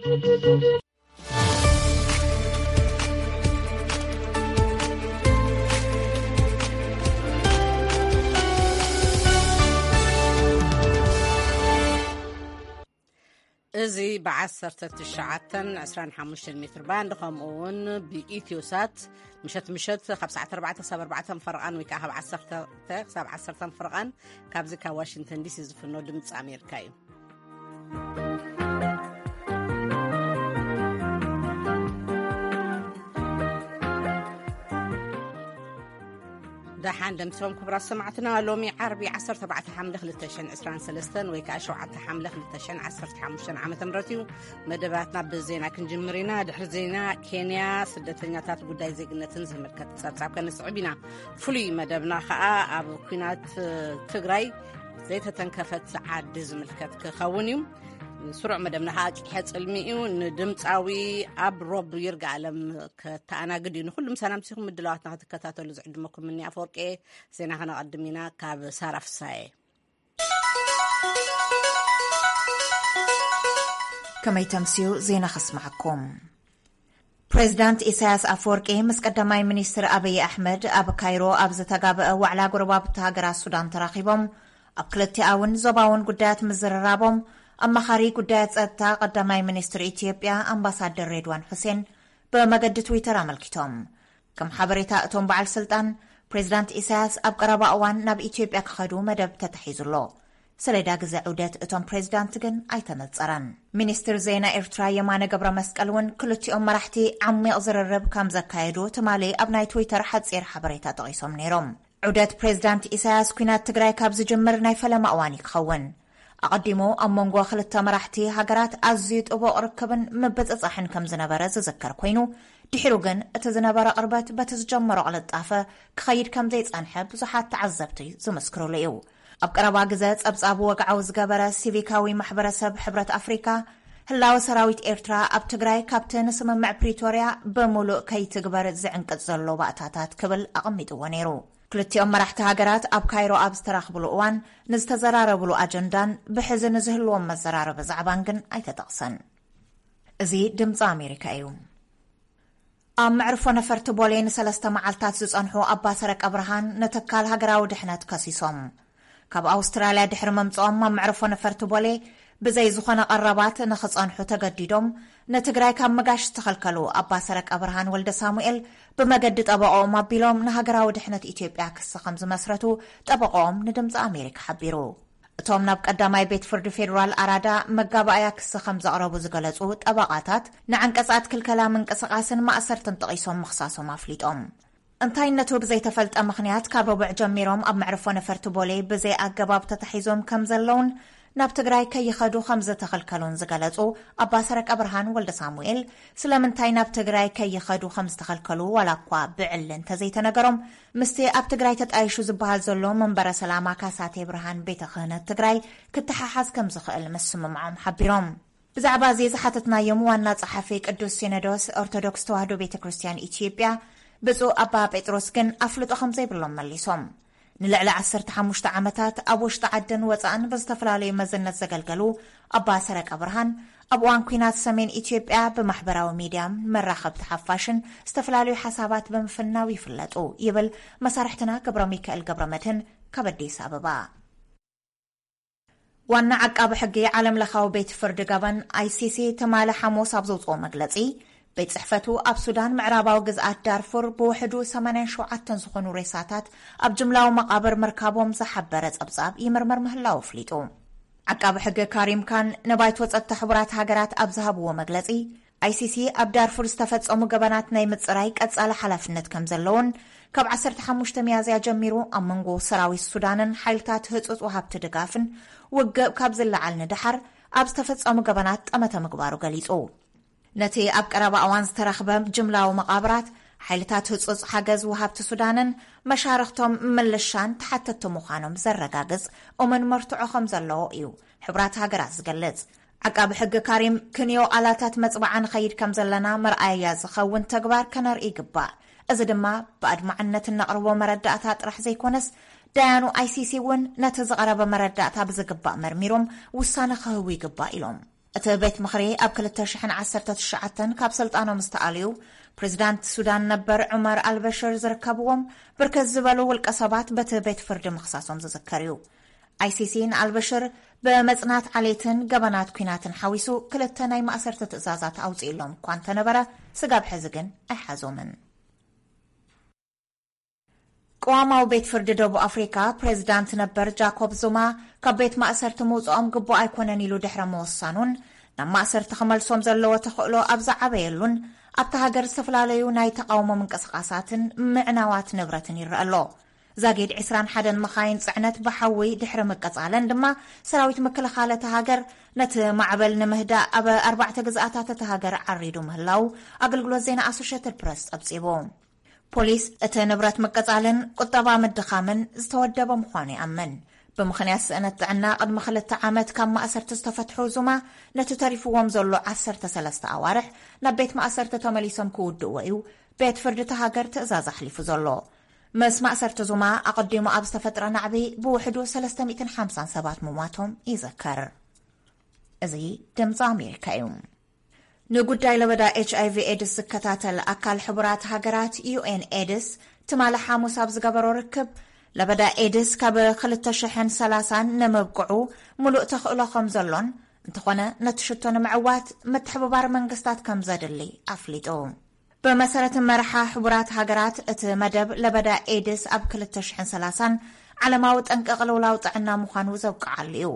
እዚ ብ19 25 ሜትር ባንድ፣ ከምኡ እውን ብኢትዮሳት ምሸት ምሸት ካብ ሰዓት ኣርባዕተ ክሳብ ኣርባዕተ ፈረቓን ወይ ከዓ ካብ ዓሰርተ ክሳብ ዓሰርተ ፈረቓን ካብዚ ካብ ዋሽንግተን ዲሲ ዝፍኖ ድምፂ ኣሜሪካ እዩ። ደሓን ደምሲሶም ክቡራት ሰማዕትና፣ ሎሚ ዓርቢ ዓሰርተ ኣርባዕተ ሓምለ ክልተ ሽሕን ዕስራን ሰለስተን ወይ ከዓ ሸውዓተ ሓምለ ክልተ ሽሕን ዓሰርተ ሓሙሽተን ዓመተ ምህረት እዩ። መደባትና ብዜና ክንጅምር ኢና። ድሕሪ ዜና፣ ኬንያ ስደተኛታት ጉዳይ ዜግነትን ዝምልከት ጸብጻብ ከነስዕብ ኢና። ፍሉይ መደብና ከዓ ኣብ ኲናት ትግራይ ዘይተተንከፈት ዓዲ ዝምልከት ክኸውን እዩ። ስሩዕ መደብና ከዓ ቂሐ ጽልሚ እዩ። ንድምፃዊ ኣብ ሮብ ይርጋ ኣለም ከተኣናግድ እዩ። ንኹሉም ሰላም ሲኹም ምድላዋትና ክትከታተሉ ዝዕድመኩም እኒ ኣፈወርቂ። ዜና ከነቐድም ኢና ካብ ሳራ ፍሳየ። ከመይ ተምስዩ ዜና ከስማዓኩም። ፕሬዚዳንት ኢሳያስ ኣፈወርቂ ምስ ቀዳማይ ሚኒስትር ኣብይ ኣሕመድ ኣብ ካይሮ ኣብ ዝተጋበአ ዋዕላ ጎረባብቲ ሃገራት ሱዳን ተራኺቦም። ኣብ ክልቲኣውን ዞባውን ጉዳያት ምዝርራቦም፣ ኣማኻሪ ጉዳያት ጸጥታ ቀዳማይ ሚኒስትር ኢትዮጵያ ኣምባሳደር ሬድዋን ሑሴን ብመገዲ ትዊተር ኣመልኪቶም። ከም ሓበሬታ እቶም በዓል ስልጣን፣ ፕሬዚዳንት ኢሳያስ ኣብ ቀረባ እዋን ናብ ኢትዮጵያ ክኸዱ መደብ ተታሒዙ ኣሎ። ሰሌዳ ግዜ ዑደት እቶም ፕሬዚዳንት ግን ኣይተነጸረን። ሚኒስትር ዜና ኤርትራ የማነ ገብረ መስቀል እውን ክልቲኦም መራሕቲ ዓሚቕ ዝርርብ ከም ዘካየዱ ትማሊ ኣብ ናይ ትዊተር ሓጺር ሓበሬታ ጠቒሶም ነይሮም። ዑደት ፕሬዚዳንት ኢሳያስ ኲናት ትግራይ ካብ ዝጅምር ናይ ፈለማ እዋን እዩ ክኸውን። ኣቐዲሙ ኣብ መንጎ ክልተ መራሕቲ ሃገራት ኣዝዩ ጥቡቕ ርክብን ምብጽጻሕን ከም ዝነበረ ዝዝከር ኮይኑ፣ ድሒሩ ግን እቲ ዝነበረ ቅርበት በቲ ዝጀመሮ ቅልጣፈ ክኸይድ ከም ዘይጸንሐ ብዙሓት ተዓዘብቲ ዝምስክሩሉ እዩ። ኣብ ቀረባ ግዘ ጸብጻቡ ወግዓዊ ዝገበረ ሲቪካዊ ማሕበረሰብ ሕብረት ኣፍሪካ፣ ህላወ ሰራዊት ኤርትራ ኣብ ትግራይ ካብቲ ንስምምዕ ፕሪቶርያ ብምሉእ ከይትግበር ዝዕንቅጽ ዘሎ ባእታታት ክብል ኣቐሚጥዎ ነይሩ። ክልቲኦም መራሕቲ ሃገራት ኣብ ካይሮ ኣብ ዝተራኽብሉ እዋን ንዝተዘራረብሉ ኣጀንዳን ብሕዚ ንዝህልዎም መዘራረቢ ዛዕባን ግን ኣይተጠቕሰን። እዚ ድምፂ ኣሜሪካ እዩ። ኣብ መዕርፎ ነፈርቲ ቦሌ ንሰለስተ መዓልታት ዝጸንሑ ኣባ ሰረቀ ብርሃን ንትካል ሃገራዊ ድሕነት ከሲሶም። ካብ ኣውስትራልያ ድሕሪ ምምጽኦም ኣብ መዕርፎ ነፈርቲ ቦሌ ብዘይ ዝኾነ ቀረባት ንኽጸንሑ ተገዲዶም ንትግራይ ካብ ምጋሽ ዝተኸልከሉ ኣባ ሰረቀ ብርሃን ወልደ ሳሙኤል ብመገዲ ጠበቆኦም ኣቢሎም ንሃገራዊ ድሕነት ኢትዮጵያ ክሲ ከም ዝመስረቱ ጠበቆኦም ንድምፂ ኣሜሪካ ሓቢሩ። እቶም ናብ ቀዳማይ ቤት ፍርዲ ፌዴራል ኣራዳ መጋባእያ ክሲ ከም ዘቕረቡ ዝገለጹ ጠበቓታት፣ ንዓንቀጻት ክልከላ ምንቅስቓስን ማእሰርትን ጠቒሶም ምኽሳሶም ኣፍሊጦም። እንታይነቱ ብዘይተፈልጠ ምኽንያት ካብ ረቡዕ ጀሚሮም ኣብ መዕርፎ ነፈርቲ ቦሌ ብዘይ ኣገባብ ተታሒዞም ከም ዘለውን ናብ ትግራይ ከይኸዱ ከም ዝተኸልከሉን ዝገለጹ ኣባ ሰረቀ ብርሃን ወልደ ሳሙኤል፣ ስለምንታይ ናብ ትግራይ ከይኸዱ ከም ዝተኸልከሉ ዋላ እኳ ብዕሊ እንተዘይተነገሮም፣ ምስቲ ኣብ ትግራይ ተጣይሹ ዝበሃል ዘሎ መንበረ ሰላማ ካሳቴ ብርሃን ቤተ ክህነት ትግራይ ክተሓሓዝ ከም ዝኽእል ምስምምዖም ሓቢሮም። ብዛዕባ እዚ ዝሓተትናዮም ዋና ጸሓፊ ቅዱስ ሲኖዶስ ኦርቶዶክስ ተዋህዶ ቤተ ክርስቲያን ኢትዮጵያ ብፁዕ ኣባ ጴጥሮስ ግን ኣፍልጦ ከም ዘይብሎም መሊሶም። ንልዕሊ ዓሰርተ ሓሙሽተ ዓመታት ኣብ ውሽጢ ዓድን ወጻእን ብዝተፈላለዩ መዝነት ዘገልገሉ ኣባ ሰረቀ ብርሃን፣ ኣብ እዋን ኲናት ሰሜን ኢትዮጵያ ብማሕበራዊ ሚድያን መራኸብቲ ሓፋሽን ዝተፈላለዩ ሓሳባት ብምፍናው ይፍለጡ ይብል መሳርሕትና ገብረ ሚካኤል ገብረ መድህን ካብ ኣዲስ ኣበባ። ዋና ዓቃቢ ሕጊ ዓለም ለኻዊ ቤት ፍርዲ ገበን፣ ኣይሲሲ፣ ትማሊ ሓሙስ ኣብ ዘውፅኦ መግለፂ፣ ቤት ጽሕፈቱ ኣብ ሱዳን ምዕራባዊ ግዝኣት ዳርፉር ብውሕዱ ሰማንያን ሸውዓተን ዝኾኑ ሬሳታት ኣብ ጅምላዊ መቓብር ምርካቦም ዝሓበረ ጸብጻብ ይምርመር ምህላው ኣፍሊጡ። ዓቃቢ ሕጊ ካሪም ካን ንባይቶ ጸጥታ ሕቡራት ሃገራት ኣብ ዝሃብዎ መግለጺ፣ ኣይሲሲ ኣብ ዳርፉር ዝተፈጸሙ ገበናት ናይ ምጽራይ ቀጻሊ ሓላፍነት ከም ዘለዎን፣ ካብ ዓሰርተ ሓሙሽተ ሚያዝያ ጀሚሩ ኣብ መንጎ ሰራዊት ሱዳንን ሓይልታት ህጹጽ ወሃብቲ ድጋፍን ውግእ ካብ ዝለዓል ንደሓር ኣብ ዝተፈጸሙ ገበናት ጠመተ ምግባሩ ገሊጹ። ነቲ ኣብ ቀረባ እዋን ዝተረኽበ ጅምላዊ መቓብራት፣ ሓይልታት ህጹጽ ሓገዝ ወሃብቲ ሱዳንን መሻርኽቶም ምልሻን ተሓተትቲ ምዃኖም ዘረጋግጽ እሙን መርትዖ ከም ዘለዎ እዩ ሕቡራት ሃገራት ዝገልጽ። ዓቃቢ ሕጊ ካሪም፣ ክንዮ ቃላታት መጽባዓ ንኸይድ ከም ዘለና መርኣያ ዝኸውን ተግባር ከነርኢ ይግባእ። እዚ ድማ ብኣድማዕነት እነቕርቦ መረዳእታ ጥራሕ ዘይኮነስ፣ ዳያኑ ኣይሲሲ እውን ነቲ ዝቐረበ መረዳእታ ብዝግባእ መርሚሮም ውሳነ ክህቡ ይግባእ ኢሎም። እቲ ቤት ምኽሪ ኣብ ክልተ ሽሕን ዓሰርተ ትሽዓተን ካብ ስልጣኖም ዝተኣልዩ ፕሬዚዳንት ሱዳን ነበር ዑመር ኣልበሽር ዝርከብዎም ብርክት ዝበሉ ውልቀ ሰባት በቲ ቤት ፍርዲ ምኽሳሶም ዝዝከር እዩ። ኣይሲሲ ንኣልበሽር ብመጽናት ዓሌትን ገበናት ኲናትን ሓዊሱ ክልተ ናይ ማእሰርቲ ትእዛዛት ኣውጺእሎም እኳ እንተነበረ፣ ስጋብ ሕዚ ግን ኣይሓዞምን። ቅዋማዊ ቤት ፍርዲ ደቡብ ኣፍሪካ ፕሬዚዳንት ነበር ጃኮብ ዙማ ካብ ቤት ማእሰርቲ ምውፅኦም ግቡእ ኣይኮነን ኢሉ ድሕረ ምወሳኑን ናብ ማእሰርቲ ክመልሶም ዘለዎ ተኽእሎ ኣብ ዝዓበየሉን ኣብታ ሃገር ዝተፈላለዩ ናይ ተቃውሞ ምንቅስቃሳትን ምዕናዋት ንብረትን ይረአ ኣሎ። ዛጊድ ዕስራን ሓደን መኻይን ጽዕነት ብሓዊ ድሕሪ ምቅጻለን ድማ ሰራዊት ምክልኻል እታ ሃገር ነቲ ማዕበል ንምህዳእ ኣብ ኣርባዕተ ግዝኣታት እታ ሃገር ዓሪዱ ምህላው ኣገልግሎት ዜና ኣሶሽየትድ ፕረስ ጸብጺቡ። ፖሊስ እቲ ንብረት ምቅጻልን ቁጠባ ምድኻምን ዝተወደበ ምዃኑ ይኣምን። ብምኽንያት ስእነት ጥዕና ቅድሚ ክልተ ዓመት ካብ ማእሰርቲ ዝተፈትሑ ዙማ ነቲ ተሪፍዎም ዘሎ ዓሰርተ ሰለስተ ኣዋርሕ ናብ ቤት ማእሰርቲ ተመሊሶም ክውድእዎ እዩ ቤት ፍርዲ እታ ሃገር ትእዛዝ ኣሕሊፉ ዘሎ። ምስ ማእሰርቲ ዙማ ኣቐዲሙ ኣብ ዝተፈጥረ ናዕቢ ብውሕዱ ሰለስተ ሚእትን ሓምሳን ሰባት ምሟቶም ይዝከር። እዚ ድምፂ ኣሜሪካ እዩ። ንጉዳይ ለበዳ ኤች ኣይ ቪ ኤድስ ዝከታተል ኣካል ሕቡራት ሃገራት ዩ ኤን ኤድስ ትማሊ ሓሙስ ኣብ ዝገበሮ ርክብ ለበዳ ኤድስ ካብ ክልተ ሽሕን ሰላሳን ንምብቅዑ ሙሉእ ተኽእሎ ከም ዘሎን እንተኾነ ነቲ ሽቶ ንምዕዋት ምትሕብባር መንግስታት ከም ዘድሊ ኣፍሊጡ። ብመሰረት መርሓ ሕቡራት ሃገራት እቲ መደብ ለበዳ ኤድስ ኣብ ክልተ ሽሕን ሰላሳን ዓለማዊ ጠንቂ ቅልውላው ጥዕና ምዃኑ ዘብቅዓሉ እዩ።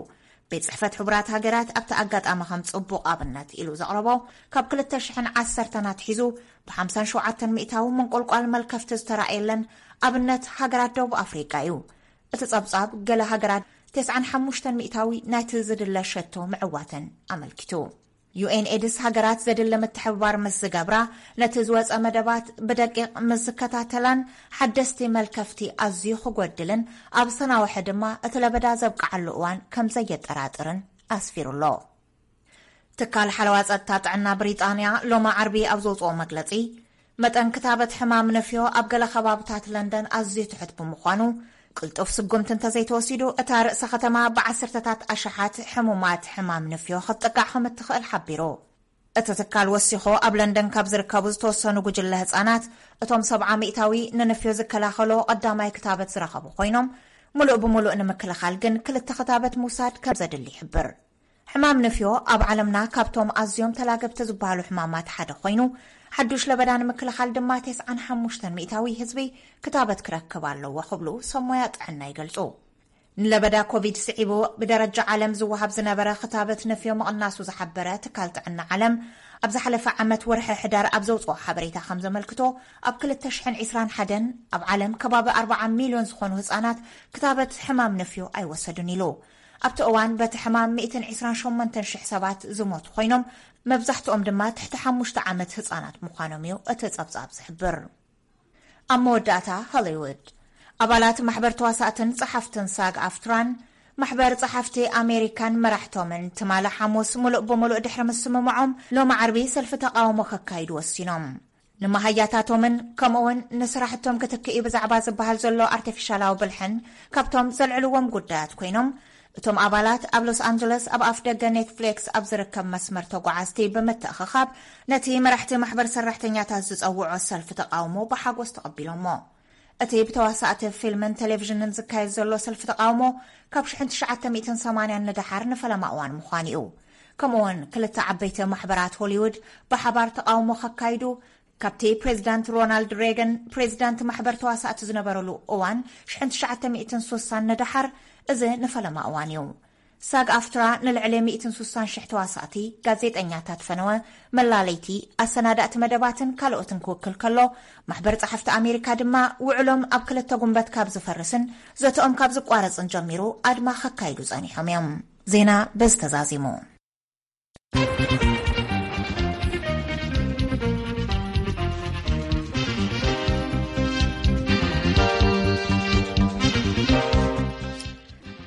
ቤት ጽሕፈት ሕቡራት ሃገራት ኣብቲ ኣጋጣሚ ከም ጽቡቕ ኣብነት ኢሉ ዘቕረቦ ካብ ክልተ ሽሕን ዓሰርተን ኣትሒዙ ብሓምሳን ሸውዓተን ሚእታዊ ምንቁልቋል መልከፍቲ ዝተራእየለን ኣብነት ሃገራት ደቡብ ኣፍሪቃ እዩ። እቲ ጸብጻብ ገለ ሃገራት ተስዓን ሓሙሽተን ሚእታዊ ናይቲ ዝድለ ሸቶ ምዕዋተን ኣመልኪቱ። ዩ ኤን ኤድስ ሃገራት ዘድሊ ምትሕብባር ምስ ዝገብራ፣ ነቲ ዝወጸ መደባት ብደቂቕ ምስ ዝከታተላን ሓደስቲ መልከፍቲ ኣዝዩ ክጎድልን ኣብ ዝተናውሐ ድማ እቲ ለበዳ ዘብቅዓሉ እዋን ከም ዘየጠራጥርን ኣስፊሩ ኣሎ። ትካል ሓለዋ ጸጥታ ጥዕና ብሪጣንያ ሎሚ ዓርቢ ኣብ ዘውጽኦ መግለጺ፣ መጠን ክታበት ሕማም ንፍዮ ኣብ ገለ ከባብታት ለንደን ኣዝዩ ትሑት ብምዃኑ፣ ቅልጡፍ ስጉምቲ እንተዘይተወሲዱ፣ እታ ርእሰ ከተማ ብዓሰርተታት ኣሽሓት ሕሙማት ሕማም ንፍዮ ክትጥቃዕ ከም እትኽእል ሓቢሩ። እቲ ትካል ወሲኹ፣ ኣብ ለንደን ካብ ዝርከቡ ዝተወሰኑ ጉጅለ ህጻናት፣ እቶም ሰብዓ ሚእታዊ ንንፍዮ ዝከላኸሎ ቀዳማይ ክታበት ዝረኸቡ ኮይኖም፣ ሙሉእ ብሙሉእ ንምክልኻል ግን ክልተ ክታበት ምውሳድ ከም ዘድሊ ይሕብር። ሕማም ንፍዮ ኣብ ዓለምና ካብቶም ኣዝዮም ተላገብቲ ዝበሃሉ ሕማማት ሓደ ኮይኑ፣ ሓዱሽ ለበዳ ንምክልኻል ድማ ተስዓን ሓሙሽተን ሚእታዊ ህዝቢ ክታበት ክረክብ ኣለዎ ክብሉ ሰብ ሞያ ጥዕና ይገልጹ። ንለበዳ ኮቪድ ስዒቡ ብደረጃ ዓለም ዝወሃብ ዝነበረ ክታበት ንፍዮ ምቕናሱ ዝሓበረ ትካል ጥዕና ዓለም፣ ኣብ ዝሓለፈ ዓመት ወርሒ ሕዳር ኣብ ዘውጽኦ ሓበሬታ ከም ዘመልክቶ፣ ኣብ ክልተ ሽሕን ዕስራን ሓደን ኣብ ዓለም ከባቢ ኣርባዓ ሚልዮን ዝኾኑ ህጻናት ክታበት ሕማም ንፍዮ ኣይወሰዱን ኢሉ። ኣብቲ እዋን በቲ ሕማም ሚእትን ዕስራን ሸሞንተን ሽሕ ሰባት ዝሞቱ ኮይኖም፣ መብዛሕትኦም ድማ ትሕቲ ሓሙሽተ ዓመት ህጻናት ምዃኖም እዩ እቲ ጸብጻብ ዝሕብር። ኣብ መወዳእታ፣ ሆሊውድ። ኣባላት ማሕበር ተዋሳእትን ጸሓፍትን ሳግ ኣፍትራን ማሕበር ጸሓፍቲ ኣሜሪካን መራሕቶምን ትማሊ ሓሙስ ሙሉእ ብምሉእ ድሕሪ ምስምምዖም፣ ሎሚ ዓርቢ ሰልፊ ተቃውሞ ከካይዱ ወሲኖም። ንመሃያታቶምን ከምኡውን ንስራሕቶም ክትክኢ ብዛዕባ ዝበሃል ዘሎ ኣርቲፊሻላዊ ብልሕን ካብቶም ዘልዕልዎም ጉዳያት ኮይኖም፣ እቶም ኣባላት ኣብ ሎስ ኣንጀለስ ኣብ ኣፍ ደገ ኔትፍሊክስ ኣብ ዝርከብ መስመር ተጓዓዝቲ ብምትእኽኻብ ነቲ መራሕቲ ማሕበር ሰራሕተኛታት ዝጸውዖ ሰልፊ ተቃውሞ ብሓጎስ ተቐቢሎሞ። እቲ ብተዋሳእቲ ፊልምን ቴሌቪዥንን ዝካየድ ዘሎ ሰልፊ ተቃውሞ ካብ ሽሕን ትሽዓተ ሚእትን ሰማንያን ንደሓር ንፈለማ እዋን ምዃኑ እዩ። ከምኡውን ክልተ ዓበይቲ ማሕበራት ሆሊውድ ብሓባር ተቃውሞ ከካይዱ፣ ካብቲ ፕሬዚዳንት ሮናልድ ሬገን ፕሬዚዳንት ማሕበር ተዋሳእቲ ዝነበረሉ እዋን ሽሕን ትሽዓተ ሚእትን ሱሳን ንደሓር፣ እዚ ንፈለማ እዋን እዩ። ሳግ ኣፍትራ ንልዕሊ ሚእትን ሱሳን ሽሕ ተዋሳእቲ፣ ጋዜጠኛታት ፈነወ፣ መላለይቲ፣ ኣሰናዳእቲ መደባትን ካልኦትን ክውክል ከሎ፣ ማሕበር ጸሓፍቲ ኣሜሪካ ድማ ውዕሎም ኣብ ክልተ ጉንበት ካብ ዝፈርስን ዘተኦም ካብ ዝቋረጽን ጀሚሩ ኣድማ ከካይዱ ጸኒሖም እዮም። ዜና በዚ ተዛዚሙ።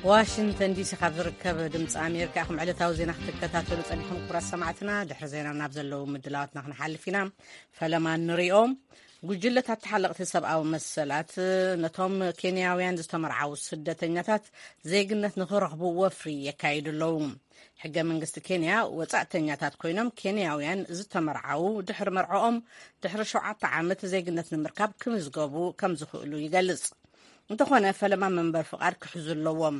ዋሽንግተን ዲሲ ካብ ዝርከብ ድምፂ ኣሜሪካ ኢኹም ዕለታዊ ዜና ክትከታተሉ ጸኒሕኩም። ክቡራት ሰማዕትና፣ ድሕሪ ዜና ናብ ዘለዉ ምድላዋትና ክንሓልፍ ኢና። ፈለማ ንሪኦም። ጉጅለታት ተሓለቕቲ ሰብኣዊ መሰላት ነቶም ኬንያውያን ዝተመርዓዉ ስደተኛታት ዜግነት ንኽረኽቡ ወፍሪ የካይዱ ኣለዉ። ሕገ መንግስቲ ኬንያ፣ ወጻእተኛታት ኮይኖም ኬንያውያን ዝተመርዓዉ ድሕሪ መርዓኦም ድሕሪ ሸውዓተ ዓመት ዜግነት ንምርካብ ክምዝገቡ ከም ዝኽእሉ ይገልጽ። እንተኾነ፣ ፈለማ መንበር ፍቓድ ክሕዙ ኣለዎም።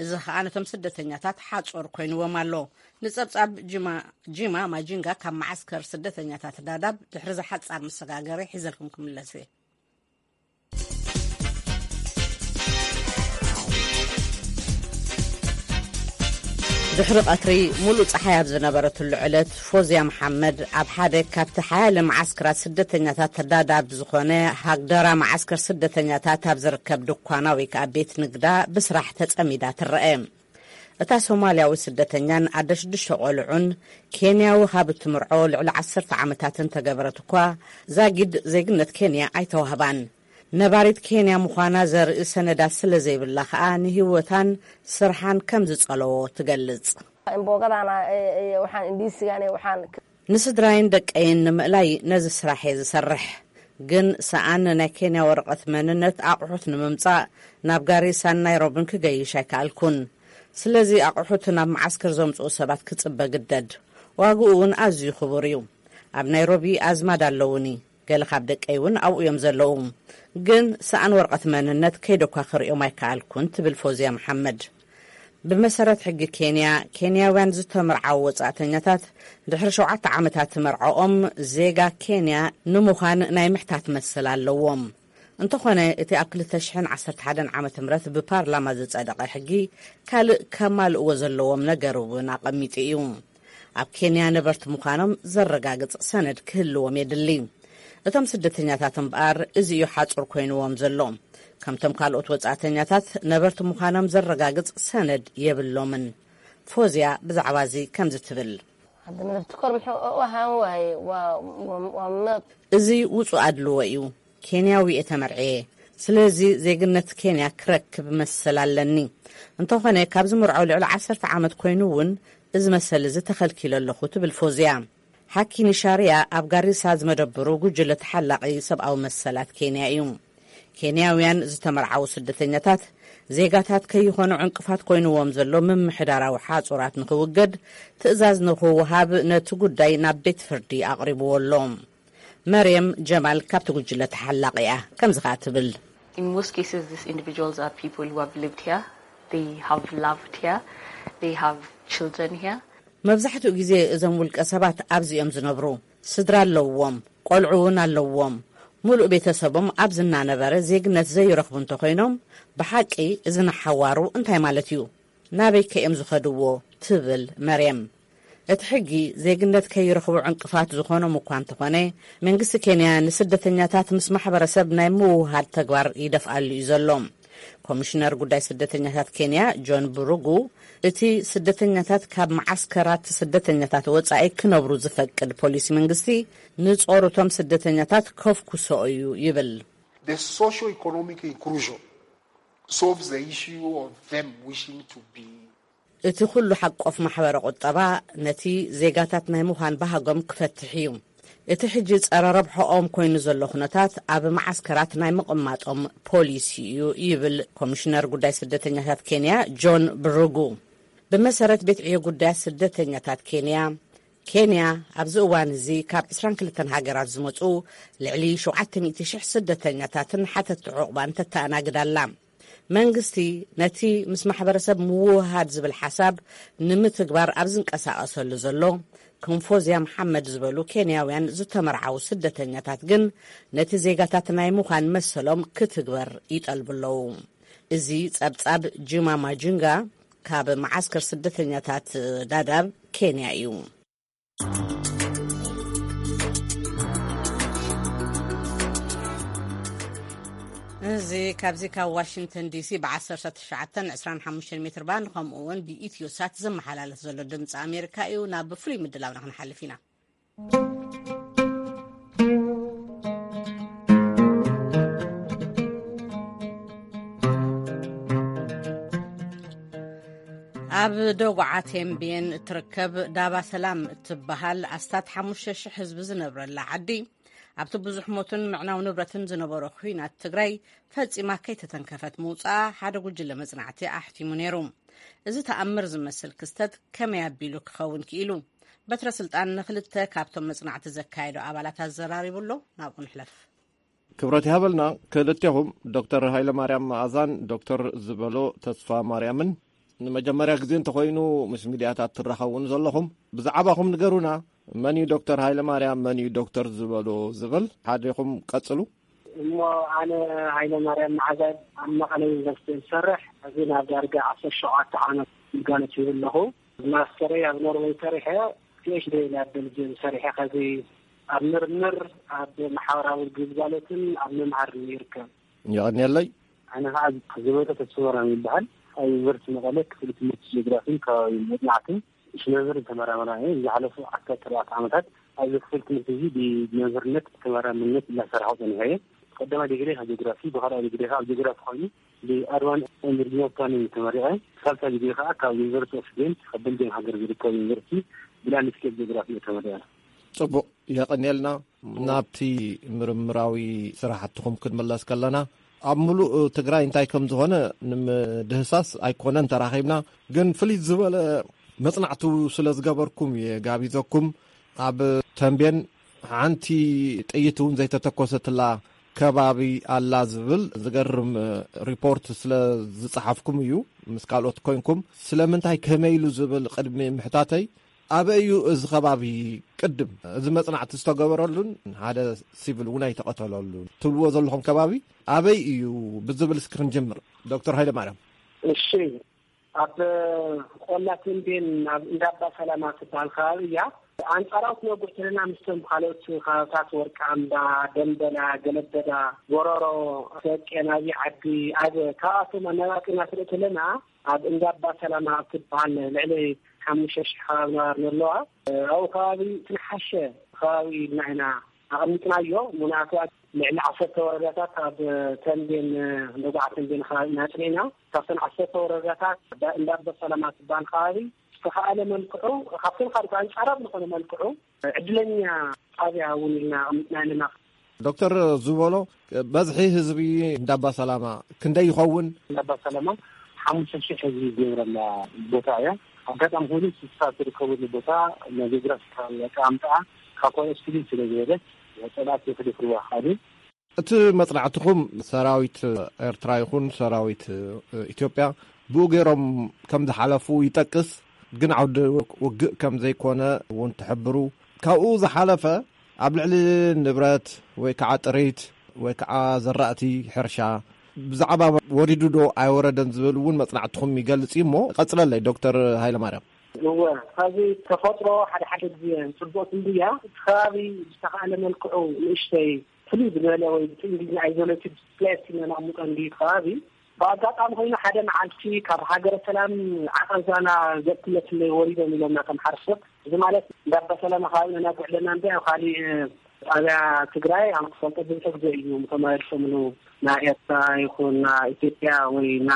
እዚ ኸኣ ነቶም ስደተኛታት ሓጹር ኮይንዎም ኣሎ። ንጸብጻብ ጂማ፣ ጂማ ማጂንጋ ካብ መዓስከር ስደተኛታት ዳዳብ ድሕሪ ዝሓጻር መሰጋገሪ ሒዘልኩም ክምለስ እየ። ድሕሪ ቀትሪ፣ ሙሉእ ጸሓይ ኣብ ዝነበረትሉ ዕለት፣ ፎዝያ መሓመድ ኣብ ሓደ ካብቲ ሓያለ መዓስከራት ስደተኛታት ዳዳብ ዝኾነ ሃግደራ መዓስከር ስደተኛታት ኣብ ዝርከብ ድኳና ወይ ከኣ ቤት ንግዳ ብስራሕ ተጸሚዳ ትረአ። እታ ሶማልያዊ ስደተኛን ኣደ ሽዱሽተ ቆልዑን፣ ኬንያዊ ካብ እትምርዖ ልዕሊ ዓሰርተ ዓመታትን ተገበረት እኳ፣ ዛጊድ ዜግነት ኬንያ ኣይተዋህባን። ነባሪት ኬንያ ምዃና ዘርኢ ሰነዳት ስለ ዘይብላ ኸኣ፣ ንህይወታን ስርሓን ከም ዝጸለዎ ትገልጽ። Mbogadana, eh, eh, waxaan, indiisigan, eh, waxaan. ንስድራይን ደቀይን ንምእላይ ነዚ ስራሕ እየ ዝሰርሕ። ግን ሰኣን ናይ ኬንያ ወረቐት መንነት ኣቑሑት ንምምጻእ ናብ ጋሪሳን ናይሮብን ክገይሽ ኣይከኣልኩን። ስለዚ ኣቑሑት ናብ መዓስከር ዘምጽኡ ሰባት ክጽበ ግደድ። ዋግኡ እውን ኣዝዩ ክቡር እዩ። ኣብ ናይሮቢ ኣዝማድ ኣለውኒ። ገለ ካብ ደቀይ እውን ኣብኡ እዮም ዘለዉ። ግን ሰኣን ወረቐት መንነት ከይደኳ ክርእዮም ኣይከኣልኩን፣ ትብል ፎዝያ መሓመድ። ብመሰረት ሕጊ ኬንያ፣ ኬንያውያን ዝተመርዓዉ ወጻእተኛታት ድሕሪ ሸውዓተ ዓመታት መርዓኦም ዜጋ ኬንያ ንምዃን ናይ ምሕታት መሰል ኣለዎም። እንተኾነ፣ እቲ ኣብ ክልተ ሽሕን ዓሰርተ ሓደን ዓመተ ምህረት ብፓርላማ ዝጸደቐ ሕጊ ካልእ ከማልእዎ ዘለዎም ነገር እውን ኣቐሚጡ እዩ። ኣብ ኬንያ ነበርቲ ምዃኖም ዘረጋግጽ ሰነድ ክህልዎም የድሊ። እቶም ስደተኛታት እምበኣር፣ እዚ እዩ ሓጹር ኮይንዎም ዘሎ። ከምቶም ካልኦት ወጻእተኛታት፣ ነበርቲ ምዃኖም ዘረጋግጽ ሰነድ የብሎምን። ፎዝያ ብዛዕባ እዚ ከምዚ ትብል። እዚ ውጹእ ኣድልዎ እዩ። ኬንያዊ እየ ተመርዕየ። ስለዚ ዜግነት ኬንያ ክረክብ መሰል ኣለኒ። እንተኾነ፣ ካብ ዝምርዖ ልዕሊ ዓሰርተ ዓመት ኮይኑ እውን፣ እዚ መሰል እዚ ተኸልኪለ ኣለኹ፣ ትብል ፎዝያ። ሓኪኒ ሻርያ ኣብ ጋሪሳ ዝመደብሩ ጉጅለ ተሓላቒ ሰብኣዊ መሰላት ኬንያ እዩ። ኬንያውያን ዝተመርዓዉ ስደተኛታት፣ ዜጋታት ከይኾኑ ዕንቅፋት ኮይንዎም ዘሎ ምምሕዳራዊ ሓጹራት ንኽውገድ ትእዛዝ ንኽወሃብ ነቲ ጉዳይ ናብ ቤት ፍርዲ ኣቕሪብዎ ኣሎ። መርየም ጀማል ካብቲ ጉጅለ ተሓላቒ እያ። ከምዚ ኸኣ ትብል። In most cases, these individuals are people who have lived here, they have loved here, they have children here. መብዛሕትኡ ግዜ እዞም ውልቀ ሰባት ኣብዚ እዮም ዝነብሩ። ስድራ ኣለውዎም፣ ቆልዑ እውን ኣለውዎም። ሙሉእ ቤተሰቦም ኣብዚ እናነበረ ዜግነት ዘይረኽቡ እንተኾይኖም፣ ብሓቂ እዚ ንሓዋሩ እንታይ ማለት እዩ? ናበይ ከ እዮም ዝኸድዎ? ትብል መርየም። እቲ ሕጊ ዜግነት ከይረኽቡ ዕንቅፋት ዝኾኖም እኳ እንተኾነ፣ መንግስቲ ኬንያ ንስደተኛታት ምስ ማሕበረሰብ ናይ ምውህሃድ ተግባር ይደፍኣሉ እዩ ዘሎ። ኮሚሽነር ጉዳይ ስደተኛታት ኬንያ ጆን ብሩጉ፣ እቲ ስደተኛታት ካብ መዓስከራት ስደተኛታት ወጻኢ ክነብሩ ዝፈቅድ ፖሊሲ መንግስቲ ንጾርቶም ስደተኛታት ከፍኩሶ እዩ ይብል። The socio-economic inclusion solves the issue of them wishing to be እቲ ኩሉ ሓቆፍ ማሕበረ ቁጠባ ነቲ ዜጋታት ናይ ምዃን ባህጎም ክፈትሕ እዩ። እቲ ሕጂ ጸረ ረብሖኦም ኮይኑ ዘሎ ኩነታት ኣብ መዓስከራት ናይ ምቕማጦም ፖሊሲ እዩ ይብል ኮሚሽነር ጉዳይ ስደተኛታት ኬንያ ጆን ብሩጉ። ብመሰረት ቤት ዕዮ ጉዳያት ስደተኛታት ኬንያ፣ ኬንያ ኣብዚ እዋን እዚ ካብ ዕስራን ክልተን ሃገራት ዝመጹ ልዕሊ ሸውዓተ ሚእቲ ሽሕ ስደተኛታትን ሓተቲ ዕቑባን ተተኣናግድ ኣላ። መንግስቲ ነቲ ምስ ማሕበረሰብ ምውህሃድ ዝብል ሓሳብ ንምትግባር ኣብ ዝንቀሳቐሰሉ ዘሎ፣ ከም ፎዝያ መሓመድ ዝበሉ ኬንያውያን ዝተመርዓዉ ስደተኛታት ግን ነቲ ዜጋታት ናይ ምዃን መሰሎም ክትግበር ይጠልቡ ኣለዉ። እዚ ጸብጻብ ጂማ ማጁንጋ ካብ መዓስከር ስደተኛታት ዳዳብ ኬንያ እዩ። እዚ ካብዚ ካብ ዋሽንግተን ዲሲ ብ ዓሰርተ ትሽዓተን ዕስራን ሓሙሽተን ሜትር ባንድ፣ ከምኡ እውን ብኢትዮ ሳት ዝመሓላለፍ ዘሎ ድምፂ ኣሜሪካ እዩ። ናብ ፍሉይ ምድላውና ክንሓልፍ ኢና። ኣብ ደጉዓ ቴምቤን እትርከብ ዳባ ሰላም እትበሃል ኣስታት ሓሙሽተ ሽሕ ህዝቢ ዝነብረላ ዓዲ፣ ኣብቲ ብዙሕ ሞትን ምዕናው ንብረትን ዝነበሮ ኲናት ትግራይ ፈጺማ ከይተተንከፈት ምውጻኣ ሓደ ጉጅለ መጽናዕቲ ኣሕቲሙ ነይሩ። እዚ ተኣምር ዝመስል ክስተት ከመይ ኣቢሉ ክኸውን ክኢሉ? በትረ ስልጣን ንክልተ ካብቶም መጽናዕቲ ዘካየዱ ኣባላት ኣዘራሪቡ ኣሎ። ናብኡ ንሕለፍ። ክብረት ይሃበልና። ክልቴኹም፣ ዶክተር ሃይለማርያም መኣዛን ዶክተር ዝበሎ ተስፋ ማርያምን፣ ንመጀመርያ ግዜ እንተኾይኑ ምስ ሚድያታት ትራኸቡን ዘለኹም፣ ብዛዕባኹም ንገሩና። መን እዩ ዶክተር ሃይለማርያም፣ መን እዩ ዶክተር ዝበሎ ዝብል ሓደ ኢኹም ቀጽሉ። እሞ፣ ኣነ ሃይለ ማርያም መዓዛ፣ ኣብ መቐለ ዩኒቨርሲቲ ዝሰርሕ፣ እዚ ናብ ዳርጋ ዓሰርተ ሸውዓተ ዓመት ግልጋሎት ይህብ ኣለኹ። ማስተረይ ኣብ ኖርወይ ሰሪሐ፣ ፒኤችዲ ኣብ ቤልጅየም ሰሪሐ፣ ከዚ ኣብ ምርምር፣ ኣብ ማሕበራዊ ግልጋሎትን ኣብ ምምሃርን ይርከብ። የቐንየለይ። ኣነ ከዓ ዝበሎ ተስፋማርያም ይበሃል። ኣብ ዩኒቨርሲቲ መቐለ ክፍሊ ትምህርቲ ጂኦግራፊን ከባቢ መፅናዕትን ሽነብር ተመራመራ እየ። ዝሓለፉ ዓሰርተ ኣርባዕተ ዓመታት ኣብዚ ክፍል ትምህርቲ እዚ ብመምህርነት ተመራምርነት እናሰራሕኩ ጸኒሐ እየ። ቀዳማይ ዲግሪ ካብ ጂኦግራፊ፣ ብኻልኣይ ዲግሪ ካብ ጂኦግራፊ ኮይኑ ብኣርባን ኤንድ ሪጂናል ፕላኒንግ ተመሪቐ። ሳልሳይ ዲግሪ ከዓ ካብ ዩኒቨርሲቲ ኦፍ ጌንት፣ ካብ ቤልጅየም ሃገር ዝርከብ ዩኒቨርሲቲ፣ ብላንድስኬፕ ጂኦግራፊ እየ ተመሪቐ። ጽቡቕ፣ የቐንየልና። ናብቲ ምርምራዊ ስራሕትኹም ክንምለስ ከለና፣ ኣብ ምሉእ ትግራይ እንታይ ከም ዝኾነ ንምድህሳስ ኣይኮነን ተራኺብና፣ ግን ፍልይ ዝበለ መጽናዕቱ ስለ ዝገበርኩም እየ ጋቢዘኩም። ኣብ ተንቤን ሓንቲ ጥይት እውን ዘይተተኮሰትላ ከባቢ ኣላ ዝብል ዝገርም ሪፖርት ስለ ዝጸሓፍኩም እዩ፣ ምስ ካልኦት ኮይንኩም። ስለምንታይ፣ ከመይ ኢሉ ዝብል ቅድሚ ምሕታተይ፣ ኣበይ እዩ እዚ ከባቢ ቅድም እዚ መጽናዕቲ ዝተገበረሉን ሓደ ሲቪል እውን ኣይተቐተለሉን ትብልዎ ዘለኹም ከባቢ ኣበይ እዩ ብዝብል እስኪ ክንጅምር። ዶክተር ሃይለ ማርያም። እሺ፣ ኣብ ቆላ ተንቤን ኣብ እንዳባ ሰላማ ትበሃል ከባቢ እያ። ኣንጻራዊ ክነጉሕ ተለና ምስቶም ካልኦት ከባብታት ወርቃ እምባ፣ ደንበላ፣ ገለበዳ፣ ጎረሮ፣ ሰቄን፣ ኣብይ ዓዲ፣ ኣብ ካብኣቶም ኣነባቂና ትርኢ ተለና ኣብ እንዳባ ሰላማ ኣብ ትበሃል ልዕሊ ሓሙሽተ ሽሕ ከባቢ ነባሪ ኣለዋ። ኣብኡ ከባቢ ትንሓሸ ከባቢ ኢልና ኢና ኣቐሚጥናዮ። ምኽንያቱ ልዕሊ ዓሰርተ ወረዳታት ኣብ ተንቤን፣ ደጉዓ ተንቤን ከባቢ ኢና ጽኒዕና። ካብተን ዓሰርተ ወረዳታት እንዳ ኣባ ሰላማ ትበሃል ከባቢ ዝተኻእለ መልክዑ፣ ካብተን ካልኦት ኣንጻራዊ ዝኾነ መልክዑ ዕድለኛ ጣብያ እውን ኢልና ኣቐሚጥና ኣለና። ዶክተር ዝበሎ፣ በዝሒ ህዝቢ እንዳባ ሰላማ ክንደይ ይኸውን? እንዳባ ሰላማ ሓሙሽተ ሽሕ ህዝቢ ዝነብረላ ቦታ እያ። ኣጋጣሚ ኮይኑ ስሳ ትርከበሉ ቦታ ናይ ጂኦግራፊካዊ ኣቀማምጣኣ ካብ ካልኦት ፍልይ ስለ ዝበለት ጸላእቲ ክደፍርዋ ይኽኣሉ። እቲ መጽናዕትኹም ሰራዊት ኤርትራ ይኹን ሰራዊት ኢትዮጵያ ብኡ ገይሮም ከም ዝሓለፉ ይጠቅስ፣ ግን ዓውዲ ውግእ ከም ዘይኮነ እውን ትሕብሩ። ካብኡ ዝሓለፈ ኣብ ልዕሊ ንብረት ወይ ከዓ ጥሪት ወይ ከዓ ዘራእቲ ሕርሻ ብዛዕባ ወሪዱ ዶ ኣይወረደን ዝብል እውን መጽናዕትኹም ይገልጽ እዩ። እሞ ቀጽለለይ ዶክተር ሃይለማርያም። እወ፣ ካብዚ ተፈጥሮ ሓደ ሓደ ግዜ ጽቡቕ ትንብያ፣ እቲ ከባቢ ብዝተኻእለ መልክዑ ንእሽተይ ፍልይ ዝበለ ወይ ብቲ እንግሊዝኛ ኣይዞሌትድ ፕሌስ ኢልና ነቕምጦ እንድዩ እቲ ከባቢ። ብኣጋጣሚ ኮይኑ ሓደ መዓልቲ ካብ ሃገረ ሰላም ዓቐብ ዛና ገጽ ክለትለይ ወሪዶም ኢሎምና ከም ሓረስቶት። እዚ ማለት እንዳ ኣባ ሰላማ ከባቢ ነናጉዕ ኣለና እምበር ኣብ ካሊእ ጣብያ ትግራይ ኣብ ትፈልጦ ብዙሕ ግዜ እዩ ተመላሊሶምሉ፣ ና ኤርትራ ይኹን ና ኢትዮጵያ ወይ ና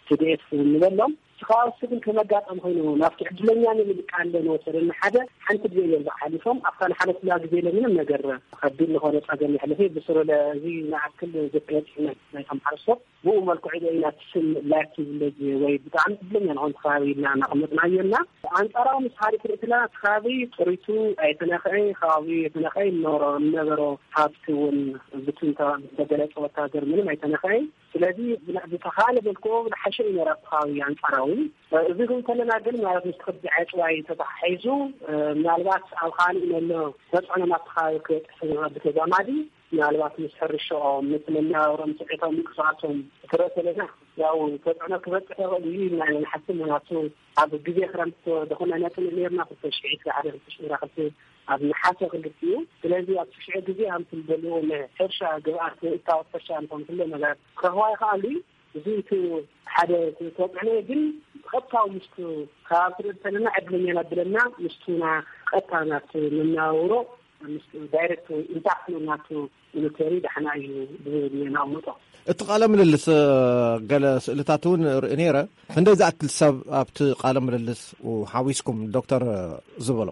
ቲ ዲ ኤፍ ንበሎም። እቲ ከባቢ እሱ ግን ከም ኣጋጣሚ ኮይኑ ናብቲ ዕድለኛ ንብል ቃል ንወሰደና ሓደ ሓንቲ ግዜ እዮም ዝሓሊፎም። ኣብታ ንሓለፍላ ግዜ ለ ምንም ነገር ከቢድ ዝኾነ ጸገም የሕልፍ እዩ። ብስሩ ለ እዚ ንኣክል ዘፍለጥ ናይ ተምሓርሶ ብኡ መልክዑ ዶ ኢና እቲ ስም ላኪ ቪሌጅ ወይ ብጣዕሚ ዕድለኛ ንኾን ከባቢ ኢልና እናቐመጥናዮ እና ኣንጻራዊ ምስ ሓደ ትርኢትና እቲ ከባቢ ጥሪቱ ኣይተነኽአ፣ ከባቢ የተነኽአ ይነበሮ፣ ነበሮ ሃብቲ እውን ብትንታ ዝተገለጸ ወታደር ምንም ኣይተነኽአ። ስለዚ ብና-፣ ብተኻለ መልክዑ ዝሓሸ እዩ ነይሩ ኣብቲ ከባቢ ኣንጻራዊ። እዚ ግን ከለና ግን ማለት ምስ ክቢ ዕጽዋይ ተተሓሒዙ፣ ምናልባት ኣብ ካልእ ዘሎ ተጽዕኖ ናብቲ ከባቢ ክበጽሕ ብተዛማዲ ምናልባት ምስ ሕርሻኦም፣ ምስ መነባብሮም፣ ስዕቶም፣ ምንቅስቓሶም ክትርኢ ከለና ያው ተጽዕኖ ክበጽሕ ይኽእል እዩ ኢልና ኢና ንሓስብ። ምኽንያቱ ኣብ ግዜ ክረምቲ ዝኾነ ነጥንእ ነይርና ክልተ ሽሕ ዕስራ ሓደ ክልተ ሽሕ ዕስራ ክልተ ኣብ ነሓሰ ክልቲኡ። ስለዚ ኣብ ትሽዒ ግዜ ከምቲ ዝደልዎ ናይ ሕርሻ ግብኣት እታወት ሕርሻ እንኾን ኩሎ ነገር ክረኽባ ይኽኣሉ እዩ። እዚ እቲ ሓደ ተጽዕኖ እዩ። ግን ብቐጥታዊ ምስቱ ከባቢ ትርኢ እንተለና ዕድለኛ ናብለና ምስቱና ቀጥታ ናብቲ መነባብሮ ምስ ዳይሬክት ኢምፓክት ናቱ ሚሊተሪ ዳሕና እዩ ብዝብል ነቕምጦ። እቲ ቃለ ምልልስ፣ እ፣ ገለ ስእልታት እውን ርኢ ነይረ። ክንደይ ዝኣክል ሰብ ኣብቲ ቃለ ምልልስ ሓዊስኩም ዶክተር ዝበሎ?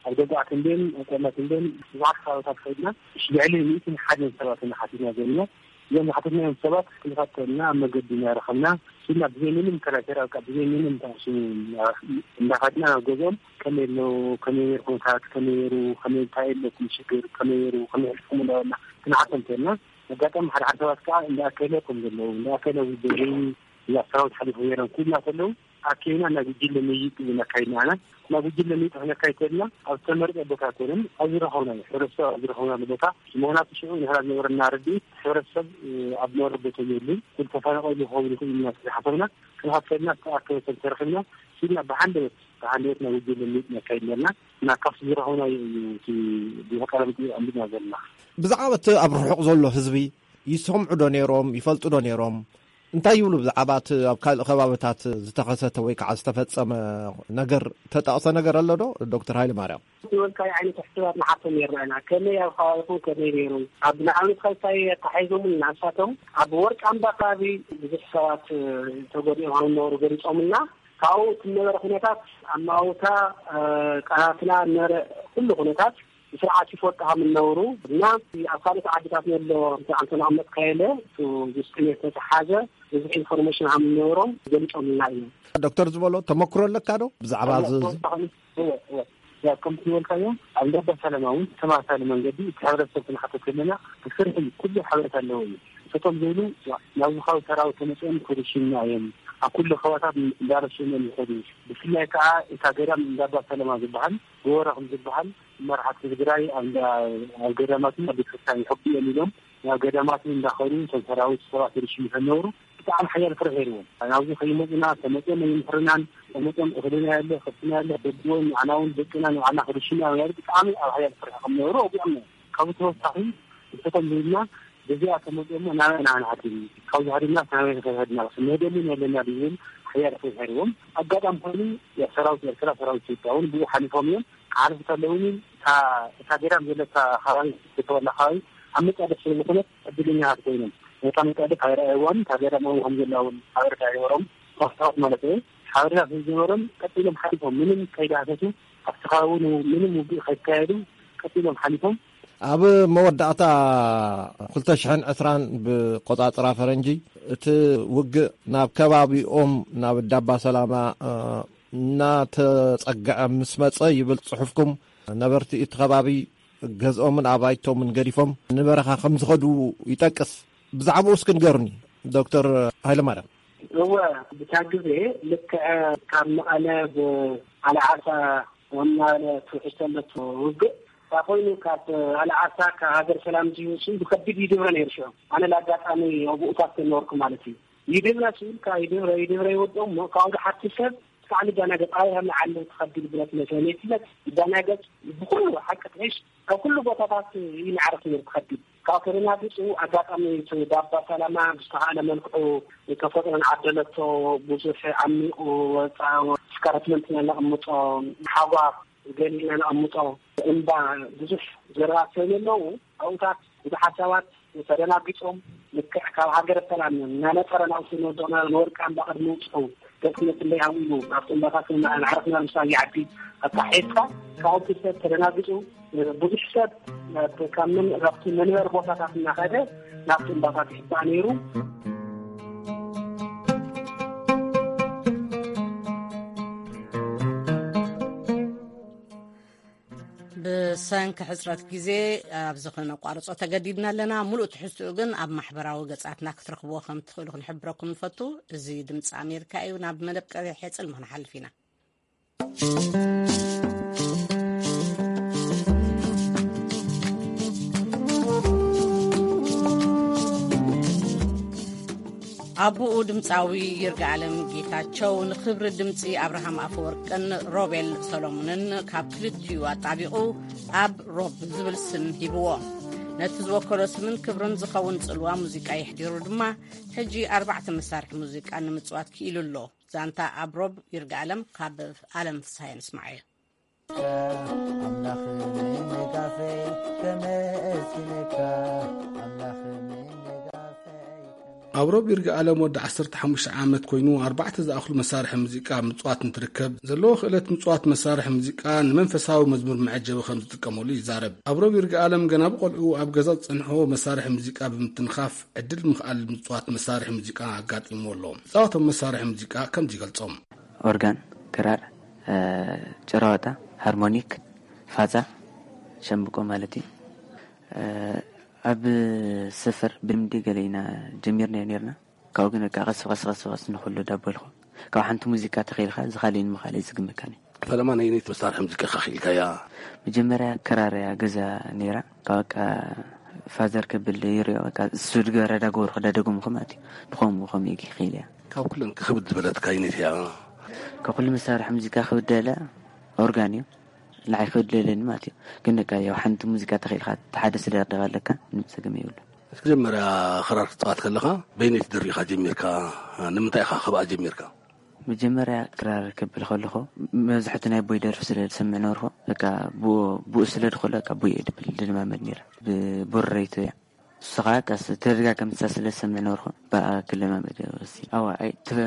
ኣብ ደጉዓ ተንቤን፣ ኣብ ቆላ ተንቤን ብዙሓት ከባቢታት ከይድና ልዕሊ ሚእትን ሓደን ሰባት ኢና ሓቲትና ዘለና። እዞም ዝሓተትናዮም ሰባት ክንፋተልና ኣብ መገዲ እናረኸብና፣ ስና ብዘይ ምንም ከራከራ፣ ብቃ ብዘይ ምንም ታሽሙ እንዳኸድና ናብ ገዝኦም፣ ከመይ ኣሎ፣ ከመይ ነይሩ ኩነታት፣ ከመይ ነይሩ፣ ከመይ እንታይ ኣለኩም ሽግር፣ ከመይ ነይሩ፣ ከመይ ሕልፍኩም እንዳበልና ክንሓቶም ከልና፣ ኣጋጣሚ ሓደ ሓደ ሰባት ከዓ እንዳኣከለ ከም ዘለዉ፣ እንዳኣከለ ውድሪ፣ እዛ ሰራዊት ሓሊፉ ነይሮም ክብሉና ከለዉ፣ ኣከይና ናብ ጉጅለ ምይይጥ ኢና ኣካይድና። ኣና ናብ ጉጅለ ምይይጥ ክነካይድ ከለና፣ ኣብ ዝተመርጸ ቦታ ኮይኖም ኣብ ዝረኸብናዮ፣ ሕብረተሰብ ኣብ ዝረኸብናሉ ቦታ፣ ምኽንያቱ ሽዑ ንሕና ዝነበረና ርድኢት፣ ሕብረተሰብ ኣብ ዝነበረ ቦታ የሉን፣ ኩሉ ተፈናቐሉ ክኸውን ይኽእል ኢና ዝሓሰብና፣ ክንሓት ከለና ዝተኣከበ ሰብ ተረኺብና፣ ሲድና ብሓንደበት፣ ብሓንደበት ናብ ጉጅለ ምይይጥ ነካይድ ነርና። እና ካብቲ ዝረኸብናዮ እዩ እቲ ብቐረብ ኣንቢብና ዘለና። ብዛዕባ እቲ ኣብ ርሑቕ ዘሎ ህዝቢ ይሰምዑ ዶ ነይሮም? ይፈልጡ ዶ ነይሮም? እንታይ ይብሉ ብዛዕባ እቲ ኣብ ካልእ ከባብታት ዝተኸሰተ ወይ ከዓ ዝተፈጸመ ነገር፣ ተጠቕሰ ነገር ኣሎ ዶ? ዶክተር ሃይለ ማርያም። ዝበልካዮ ዓይነት ሕቶታት ንሓቶም ነርና ኢና። ከመይ ኣብ ከባቢኹም ከመይ ነይሩ? ኣብ ንኣብነት ካብ እንታይ ኣተሓሒዞም ንሳቶም ኣብ ወርቂ ኣምባ ከባቢ ብዙሕ ሰባት ተጎዲኦም ከም ዝነበሩ ገሊጾምልና። ካብኡ እቲ ዝነበረ ኩነታት ኣማውታ፣ እ፣ ቃላትና ነበረ ኩሉ ኩነታት ብስርዓት ይፈልጡ ከም ዝነበሩ እና ኣብ ካልኦት ዓድታት ዘሎ ኣንተ ኣቐመጥካዮ ኢለ እቲ ውስጥነት ዝተተሓዘ ብዙሕ ኢንፎርሜሽን ከም ዝነበሮም ገሊጾምልና እዮም። ዶክተር ዝበሎ ተመክሮ ኣለካ ዶ ብዛዕባ እዚ? ተወሳኺ፣ እወ፣ እወ። ያው ከምቲ ዝበልካዮ ኣብ እንዳባ ሰላማ እውን ተመሳሳሊ መንገዲ እቲ ሕብረተሰብ ክንሓቶ ከለና ብስርሒ ኩሉ ሓበሬታ ኣለዎ እዩ። እቶም ዝብሉ ናብዚ ከባቢ ሰራዊት ተመፅኦም ክርሽኑና እዮም፣ ኣብ ኩሉ ከባታት እንዳረሸኑ እዮም ይኸዱ። ብፍላይ ከዓ እታ ገዳም እንዳባ ሰላማ ዝበሃል ጎቦ ረኽሚ ዝበሃል መራሕቲ ትግራይ ኣብ እንዳ-፣ ኣብ ገዳማትን ኣብ ቤተክርስትያን ይሕቡ እዮም ኢሎም ናብ ገዳማትን እንዳኸዱ እቶም ሰራዊት ሰባት ይርሽኑ ከነበሩ ብጣዕሚ ሓያል ፍርሒ ነይርዎም። ናብዚ ከይመፁና ተመፅኦም ኣይምሕርናን፣ ተመፅኦም እኽልና የለ፣ ከብትና የለ፣ በድዎም ንዓና እውን ደቅና ንባዕልና ክርሽኑ እዮም ያሉ ብጣዕሚ ኣብ ሓያል ፍርሒ ከም ነበሩ ኣውዲዖም ነይሮም። ካብኡ ተወሳኺ ንስኹም ዝብልና በዚኣ ተመፅኦሞ ናበይ ኢና ክንሃድም? ካብዚ ሃዲምና ናበይ ክንከይድ ሃዲምና? ክንህደሉ የለና ዝብል ሓያል ፍርሒ ነይርዎም። ኣጋጣሚ ኮይኑ ሰራዊት ኤርትራ፣ ሰራዊት ኢትዮጵያ እውን ብኡ ሓሊፎም እዮም። ክሓልፉ ከለዉ እውን እታ፣ እታ ገዳም ዘለታ ከባቢ ዝተወላ ከባቢ ኣብ መጻድፍ ስለ ዝኾነት ዕድለኛታት ኮይኖም። ነታ መጻድፍ ኣይረኣይዋን፣ እታ ገዳም እውን ከም ዘላ እውን ሓበሬታ ኣይነበሮም። ፓስፖርት ማለት እዩ። ሓበሬታ ስለ ዝነበሮም ቀጥ ኢሎም ሓሊፎም፣ ምንም ከይዳህሰሱ ኣብቲ ከባቢ እውን ምንም ውግእ ከይካየዱ ቀጥ ኢሎም ሓሊፎም። ኣብ መወዳእታ ክልተ ሽሕን ዕስራን ብቆጻጽራ ፈረንጂ እቲ ውግእ ናብ ከባቢኦም ናብ ዳባ ሰላማ፣ እ፣ እናተጸግዐ ምስ መጸ ይብል ጽሑፍኩም፣ ነበርቲ እቲ ከባቢ ገዝኦምን ኣባይቶምን ገዲፎም ንበረኻ ከም ዝኸዱ ይጠቅስ። ብዛዕባኡ እስኪ ንገሩኒ ዶክተር ሃይለማርያም። እወ፣ ብታ ግዜ ልክዕ ካብ መቐለ ብኣልዓሳ ወናለ ትውሕዝ ተሎ እቲ ውግእ፣ እንታይ ኮይኑ ካብ ኣልዓሳ ካብ ሃገር ሰላም ዝህውሱ ብከቢድ ይድብረ ነይሩ። ሽዑ ኣነ ለኣጋጣሚ ኣብኡ እኳ ተነበርኩ ማለት እዩ። ይድብረ ስብል ካብ ይድብረ፣ ይድብረ ይወድኦም እሞ ካብኡ ሓንቲ ሰብ እስካዕ ንዳናገጽ ኣበይ ከም ንዓሊ ትኸዲ ብለት መሰለ ይፍለጥ። ይዳናገጽ ብኩሉ ሓቂ ትሕሽ ካብ ኩሉ ቦታታት ይንዓርፍ ነይሩ ትኸዲ። ካብ ተደናጊጹ ኣጋጣሚ እቲ ዳባ ሰላማ ብዝተኻእለ መልክዑ ተፈጥሮ ንዓደለቶ ብዙሕ ዓሚቑ ወፃ ስካረትመንት ነቐምጦ ሓጓ ገሊና ነቐምጦ እምባ ብዙሕ ዘረባት ስለዘለዉ ኣብኡታት ብዙሓት ሰባት ተደናጊጾም ልክዕ ካብ ሃገረ ሰላም እናነጠረ ናብቲ ንወደቕና ንወርቂ ኣምባ ቅድሚ ምብጽሑ ገጽነት እንደይ ሃው ኢሉ ኣብቲ እምባታት ንዓረፍና ምሳብ ይዓቢ ኣካሒድካ ካብኡ ሰብ ተደናጊጹ ብዙሕ ሰብ ካብ ምን-፣ ካብቲ መንበሪ ቦታታት እናኸደ ናብቲ እምባታት ይሕባእ ነይሩ። ብሰንኪ ሕጽረት ግዜ ኣብዚ ኸነቋርጾ ተገዲድና ኣለና። ምሉእ ትሕዝትኡ ግን ኣብ ማሕበራዊ ገጻትና ክትረኽብዎ ከም ትኽእሉ ክንሕብረኩም ንፈቱ። እዚ ድምጺ ኣሜሪካ እዩ። ናብ መደብ ቀብሒ ሕጽል ምኽንሓልፍ ኢና። ኣቦኡ ድምፃዊ ይርጋለም ጌታቸው ንኽብሪ ድምፂ ኣብርሃም ኣፈወርቅን ሮቤል ሰሎሞንን ካብ ክልቲኡ ኣጣቢቑ ኣብ ሮብ ዝብል ስም ሂብዎ። ነቲ ዝወከሎ ስምን ክብርን ዝኸውን ጽልዋ ሙዚቃ የሕዲሩ ድማ፣ ሕጂ ኣርባዕተ መሳርሒ ሙዚቃ ንምጽዋት ክኢሉ ኣሎ። ዛንታ ኣብ ሮብ ይርጋለም ካብ ኣለም ፍስሃየ ንስማዓዮ። ኣምላኽ ምንጋፈይ ከመስግነካ፣ ኣምላኽ ምንጋፈይ ኣብሮብ ይርጋኣለም ወዲ ዓሰርተ ሓሙሽተ ዓመት ኮይኑ፣ ኣርባዕተ ዝኣኽሉ መሳርሒ ሙዚቃ ምጽዋት እንትርከብ፣ ዘለዎ ክእለት ምጽዋት መሳርሒ ሙዚቃ ንመንፈሳዊ መዝሙር መዐጀቢ ከም ዝጥቀመሉ ይዛረብ። ኣብሮብ ይርጋኣለም ገና ብቆልዑ ኣብ ገዛ ዝጸንሖ መሳርሒ ሙዚቃ ብምትንኻፍ ዕድል ምኽኣል ምጽዋት መሳርሒ ሙዚቃ ኣጋጢምዎ ኣሎ። ዝጻወቶም መሳርሒ ሙዚቃ ከምዚ ይገልጾም። ኦርጋን፣ ክራር፣ እ፣ ጭራዋጣ፣ ሃርሞኒክ፣ ፋጻ፣ ሸምብቆ ማለት እዩ። እ፣ ኣብ ሰፈር ብልምዲ ገለ ኢና ጀሚርናዮ ነርና። ካብኡ ግን በቃ ቀስ ብቐስ፣ ቀስ ብቐስ ንኹሉ ዳበልኩ። ካብ ሓንቲ ሙዚቃ ተኺልካ ዝኻልእ ንምኻልእ ዝግምካኒ። ፈለማ ናይ ነይቲ መሳርሒ ሙዚቃ ኢኻ ኺኢልካያ? መጀመርያ ክራር እያ ገዛ ነይራ። ካብ በቃ ፋዘር ክብል ይሪኦ፣ በቃ እሱ ድገረ ዳገበርኩ ዳደገምኩ ማለት እዩ። ብኸምኡ፣ ብኸምኡ እዩ ክኢል እያ። ካብ ኩለን ክብድ ዝበለትካ ኣይነይቲ እያ? ካብ ኩሉ መሳርሒ ሙዚቃ ክብድ ዝበለ ኦርጋን እዩ። ንዓይ ክብድ ለለኒ ማለት እዩ። ግን በቃ ያው ሓንቲ ሙዚቃ ተኺልካ፣ እቲ ሓደ ስለ ደቕ ኣለካ፣ ምንም ጸገም የብሉ። መጀመርያ ክራር ክትጻወት ከለኻ በይነይቲ ደርፊ ኢኻ ጀሚርካ? ንምንታይ ኢኻ ከብኣ ጀሚርካ? መጀመርያ ክራር ክብል ከለኹ፣ መብዛሕቱ ናይ ኣቦይ ደርፊ ስለ ዝሰምዕ ነበርኩ። በቃ ብኡ፣ ብኡ ስለ ድኽእሎ፣ በቃ ብኡ እየ ድብል ድልማመድ ነይረ። ብቡረይቱ እያ። ንሱ ኸዓ ቀስ ተደጋጋሚ ንሳ ስለ ዝሰምዕ ነበርኩ፣ ብኣ ክለማመድ ወሲነ። ኣዋ፣ ኣይ፣ ተፈ-፣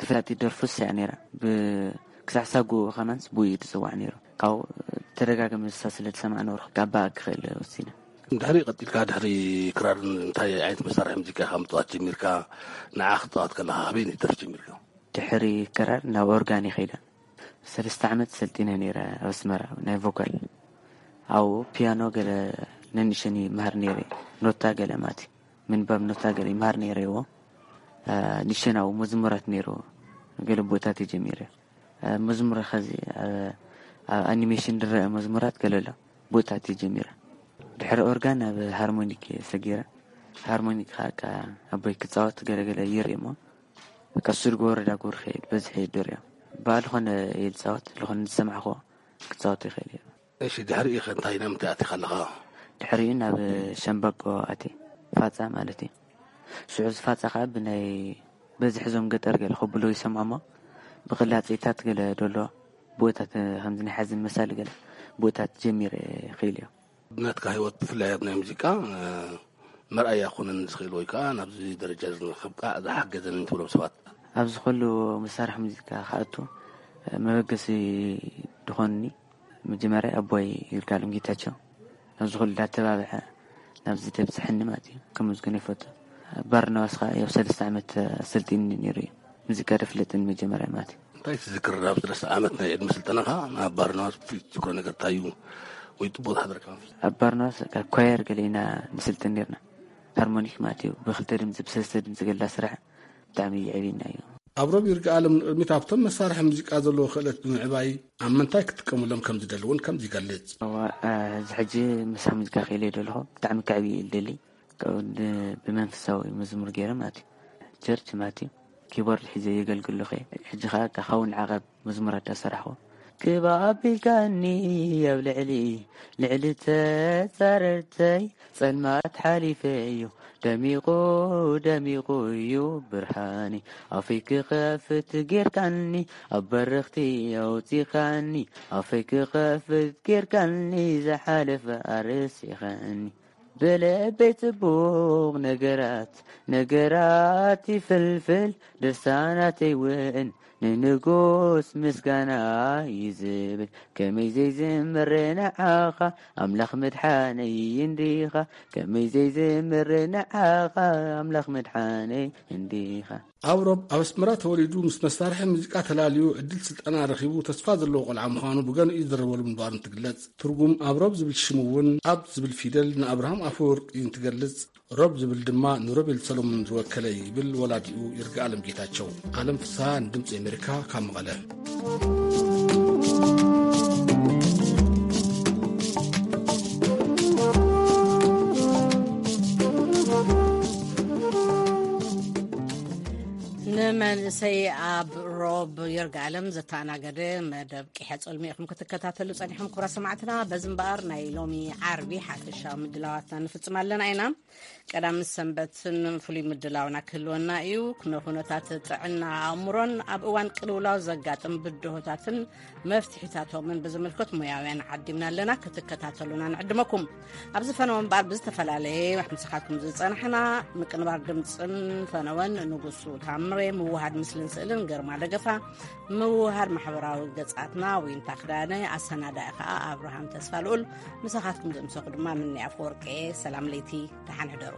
ተፈላጢት ደርፉ እሳ እያ ነይራ። ብ-፣ ክሳዕ ሳጉኡ ኸማንስ ብኡ እዩ ዝጽዋዕ ነይሩ። ካብኡ ተደጋጋሚ ንሳ ስለ ዝሰምዓ ነበርኩ፣ ካብ ብኣ ክኽእል ወሲነ። ድሕሪ ቀጺልካ፣ ድሕሪ ክራር እንታይ ዓይነት መሳርሒ ሙዚቃ ኢኻ ምጽዋት ጀሚርካ? ንዓ ክትጻወት ከለኻ፣ ኣበይ ደርፊ ጀሚርካ? ድሕሪ ክራር ናብ ኦርጋን እየ ከይደ። ሰለስተ ዓመት ሰልጢነ ነይረ ኣብ ኣስመራ፣ ናይ ቮካል። ኣብኡ ፒያኖ ገለ ነንሸን ይመሃር ነይረ፣ ኖታ ገለ ማለት እዩ። ምንባብ ኖታ ገለ ይመሃር ነይረ እዎ። አ፣ ንሸን ኣብኡ መዝሙራት ነይሩ፣ ገለ ቦታት እየ ጀሚረ። አ፣ መዝሙር ኸዚ፣ አ፣ ኣብ ኣኒሜሽን ዝረአ መዝሙራት ገለ ኣሎ፣ ቦታት እየ ጀሚረ። ድሕሪ ኦርጋን ናብ ሃርሞኒክ እየ ሰጊረ። ሃርሞኒክ ኸዓ ኣቦይ ክጻወት ገለ ገለ ይርኢ እሞ፣ በቃ እሱ ዝገበሮ ዳጎር ኸይድ በዝሕ እየ ዝሪኦ። ብኣ ዝኾነ እየ ዝጻወት፣ ዝኾነ ዝሰማዕክዎ ክጻወት ይኽእል እየ። እሺ፣ ድሕሪኡ ኸ እንታይ፣ ናብ ምንታይ ኣቲኻ ኣለኻ? ድሕሪኡ ናብ ሸምበቆ ኣትየ፣ ፋጻ ማለት እዩ። ሽዑ እዚ ፋጻ ኸዓ ብናይ በዝሒ እዞም ገጠር ገለ ከብሎ ይሰምዖ እሞ፣ ብቕላጼታት ገለ ደሎ፣ ብኡታት ከምዚ ናይ ሓዘን መሳሊ ገለ፣ ብኡታት ጀሚረ ይኽእል እዮ። ናትካ ህይወት ብፍላይ ኣብ ናይ ሙዚቃ፣ እ፣ መርኣያ ክኾነኒ ዝኽእል ወይ ከዓ ናብዚ ደረጃ እዚ ንኽብቃዕ ዝሓገዘኒ ትብሎም ሰባት? ኣብዚ ኩሉ መሳርሒ ሙዚቃ ክኣቱ፣ እ፣ መበገሲ ዝኾንኒ መጀመርያ ኣቦይ ይርጋለም ጌታቸው፣ ናብዚ ኩሉ እንዳተባብዐ ናብዚ ደብፅሐኒ ማለት እዩ። ከመስግኖ ይፈቱ። ባርናባስ ከዓ ያው ሰለስተ ዓመት ኣሰልጢኒ ነይሩ እዩ። ሙዚቃ ደፍለጥኒ መጀመርያ ማለት እዩ። እንታይ ትዝክር ኣብ ሰለስተ ዓመት ናይ ዕድመ ስልጠናኻ? ኣብ ባርናባስ ብፍሉይ ትዝክሮ ነገር እንታይ እዩ? ወይ ጽቡቕ ዝሓደረካ መንፈስ? ኣብ ባርናባስ በቃ ኳየር ገለ ኢና ንስልጥን ነርና። ሃርሞኒክ ማለት እዩ። ብክልተ ድምፂ፣ ብሰለስተ ድምፂ ገላ ስራሕ ብጣዕሚ የዕብየና እዩ። ኣብሮብ ይርጋኣለም ንቕድሚት ኣብቶም መሳርሒ ሙዚቃ ዘለዎ ክእለት ብምዕባይ ኣብ ምንታይ ክጥቀሙሎም ከም ዝደሊ እውን ከምዚ ይገልጽ። እዋ፣ እ፣ እዚ ሕጂ መሳርሒ ሙዚቃ ክኢለ ዘለኹ ብጣዕሚ ከዕብይ እየ ዝደሊ። ካብኡ ድ-፣ ብመንፈሳዊ መዝሙር ገይረ ማለት እዩ። ቸርች ማለት እዩ። ኪቦርድ ሒዘ የገልግል ኣለኹ እየ። ሕጂ ኸዓ ካብ ሓውን ዓቐብ መዝሙራት ዳሰራሕኹ። ክብ ኣቢልካኒ ኣብ ልዕሊ፣ ልዕሊ ተጻረርተይ፣ ጸልማት ሓሊፈ እዩ ደሚቑ፣ ደሚቑ እዩ ብርሃኒ። ኣፈይ ክኸፍት ጌርካኒ፣ ኣብ በረኽቲ ኣውጺኻኒ። ኣፈይ ክኸፍት ጌርካኒ፣ ዝሓለፈ ኣረሲኸኒ። ብልበይ ጽቡቕ ነገራት፣ ነገራት ይፍልፍል፣ ድርሳናተይ እውን ንንጉስ ምስጋና ይዝብል። ከመይ ዘይዝምር ንዓኻ ኣምላኽ ምድሓነይ እንዲኻ፣ ከመይ ዘይዝምር ንዓኻ ኣምላኽ ምድሓነይ እንዲኻ። ኣብሮብ ኣብ ኣስመራ ተወሊዱ ምስ መሳርሒ ሙዚቃ ተላልዩ ዕድል ስልጠና ረኺቡ ተስፋ ዘለዎ ቆልዓ ምዃኑ ብገንኡ ይዝረበሉ ምንባሩን ትግለጽ። ትርጉም ኣብሮብ ዝብል ሽሙ እውን ኣብ ዝብል ፊደል ንኣብርሃም ኣፈወርቂ እንትገልጽ፣ ሮብ ዝብል ድማ ንሮቤል ሰሎሞን ዝወከለ ይብል ወላዲኡ ይርጋኣለም ጌታቸው። ኣለም ፍስሃ ንድምፂ ኣሜሪካ ካብ መቐለ። ንመንእሰይ ኣብ ሮብ የርጋለም ዘተኣናገደ መደብ ቂሐ ጸልሚ ኢኹም ክትከታተሉ ጸኒሕኩም። ክቡራት ሰማዕትና፣ በዚ እምበኣር ናይ ሎሚ ዓርቢ ሓፈሻዊ ምድላዋትና ንፍጽም ኣለና ኢና። ቀዳም ሰንበትን ፍሉይ ምድላውና ክህልወና እዩ። ንኩነታት ጥዕና ኣእምሮን ኣብ እዋን ቅልውላው ዘጋጥም ብድሆታትን መፍትሒታቶምን ብዝምልከት ሙያውያን ዓዲምና ኣለና። ክትከታተሉና ንዕድመኩም። ኣብዚ ፈነወ እምበኣር ብዝተፈላለየ ምሳኻትኩም ዝጸናሕና ምቅንባር ድምጽን ፈነወን ንጉሱ ታምሬ፣ ምውሃድ ምስልን ስእልን ግርማ ደገፋ፣ ምውሃድ ማሕበራዊ ገጻትና ዊንታ ክዳነ፣ ኣሰናዳኢ ከኣ ኣብርሃም ተስፋ ልኡል። ምሳኻትኩም ዘምሰኹ ድማ ምኒ ኣፈወርቄ። ሰላም ለይቲ፣ ደሓን ሕደሩ።